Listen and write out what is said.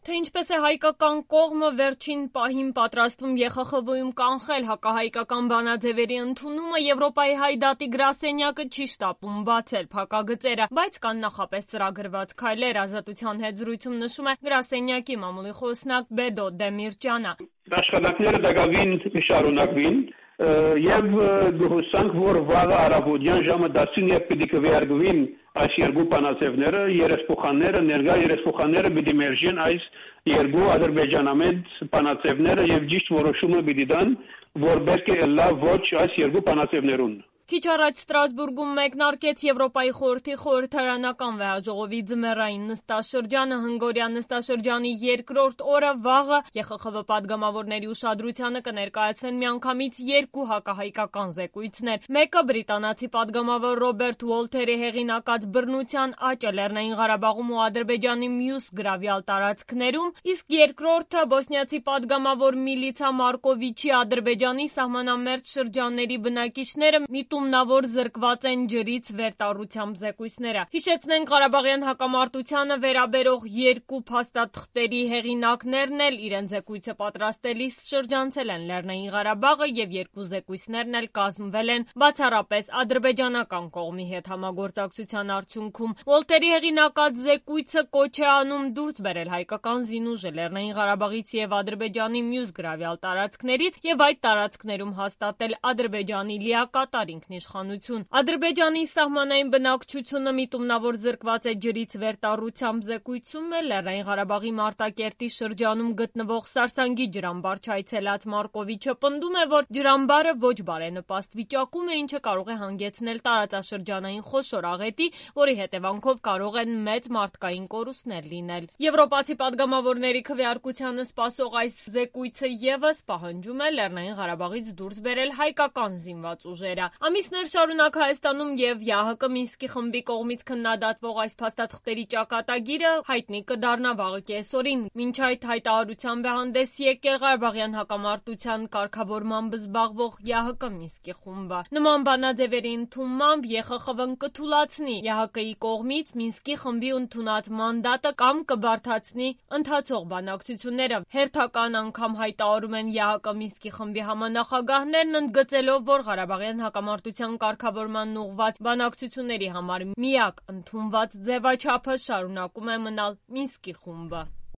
Թե ինչպես է հայկական կողմը վերջին պահին պատրաստվում ԵԽԽՎ-ում կանխել հակահայկական բանաձևերի ընդունումը, Եվրոպայի հայդատի գրասենյակը չի շտապում բացել փակագծերը, բայց կան նախապես ծրագրված քայլեր, Ազատության հետ զրույցում նշում է գրասենյակի մամուլի խոսնակ Բեդո Դեմիրճյանը։ Աշխատանքները դակավին կշարունակվին եւ գոհուսանք, որ վաղը առավոտյան ժամը 10-ին պիտի կվերագրվին այս երկու բանաձևները, երեսփոխանները, ներկա երեսփոխանները պիտի մերժեն այս երկու ադրբեջանամետ բանաձևները եւ ճիշտ որոշումը պիտի տան, որ պետք է լավ ոչ այս երկու բանաձևներուն։ Քիչ առաջ Ստրասբուրգում մեկնարկեց Եվրոպայի խորհրդի խորհրդարանական վեհաժողովի ձմեռային նստաշրջանը, հնգօրյա նստաշրջանի երկրորդ օրը վաղը ԵԽԽՎ պատգամավորների ուշադրությանը կներկայացվեն միանգամից երկու հակահայկական զեկույցներ։ Մեկը բրիտանացի պատգամավոր Ռոբերտ Ուոլթերի հեղինակած բռնության աճը Լեռնային Ղարաբաղում ու Ադրբեջանի մյուս գրավյալ տարածքներում, իսկ երկրորդը բոսնիացի պատգամավոր Միլիցա Մարկովիչի Ադրբեջանի սահմանամերձ շրջանների բնակիչները միտումնավոր զրկված են ջրից վերտառությամբ զեկույցները։ Հիշեցնենք, Ղարաբաղյան հակամարտությանը վերաբերող երկու փաստաթղթերի հեղինակներն էլ իրենց զեկույցը պատրաստելիս շրջանցել են Լեռնային Ղարաբաղը եւ երկու զեկույցներն էլ կազմվել են բացառապես ադրբեջանական կողմի հետ համագործակցության արդյունքում։ Ուոլթերի հեղինակած զեկույցը կոչ է անում դուրս բերել հայկական զինուժը Լեռնային Ղարաբաղից եւ Ադրբեջանի մյուս գրավյալ տարածքներից եւ այդ տարածքներում հաստատել Ադրբեջանի լիակատար ինքնիշխանություն։ Ադրբեջանի սահմանային բնակչությունը միտումնավոր զրկված է ջրից վերտառությամբ զեկույցում է Լեռնային Ղարաբաղի Մարտակերտի շրջանում գտնվող Սարսանգի ջրամբար չայցելած Մարկովիչը պնդում է, որ ջրամբարը ոչ բարենպաստ վիճակում է, ինչը կարող է հանգեցնել տարածաշրջանային խոշոր աղետի, որի հետևանքով կարող են մեծ մարդկային կորուստներ լինել։ Եվրոպացի պատգամավորների քվեարկությանը սպասող այս զեկույցը եւս պահանջում է Լեռնային Ղարաբաղից դուրս բերել հայկական զինված ուժերը։ Ամիսներ շարունակ Հայաստանում եւ ԵԱՀԿ Մինսկի խմբի կողմից քննադատվող այս փաստաթղթերի ճակատագիրը հայտնի կդառնա վաղը կեսօրին։ Մինչ այդ հայտարարությամբ է հանդես եկել Ղարաբաղյան հակամարտության կարգավորմամբ զբաղվող ԵԱՀԿ Մինսկի խումբը։ Նման բանաձևերի ընդունմամբ ԵԽԽՎ-ն կթուլացնի ԵԱՀԿ-ի կողմից Մինսկի խմբի ընդունած մանդատը կամ կբարդացնի ընթացող բանակցությունները։ Հերթական անգամ հայտարարում են ԵԱՀԿ Մինսկի խմբի համանախագահներն, ընդգծելով, որ Ղարաբաղյան հակամարտության կարգավորման ուղղված բանակցությունների համար միակ ընդունված ձևաչափը շարունակում է մնալ Մինսկի խումբը։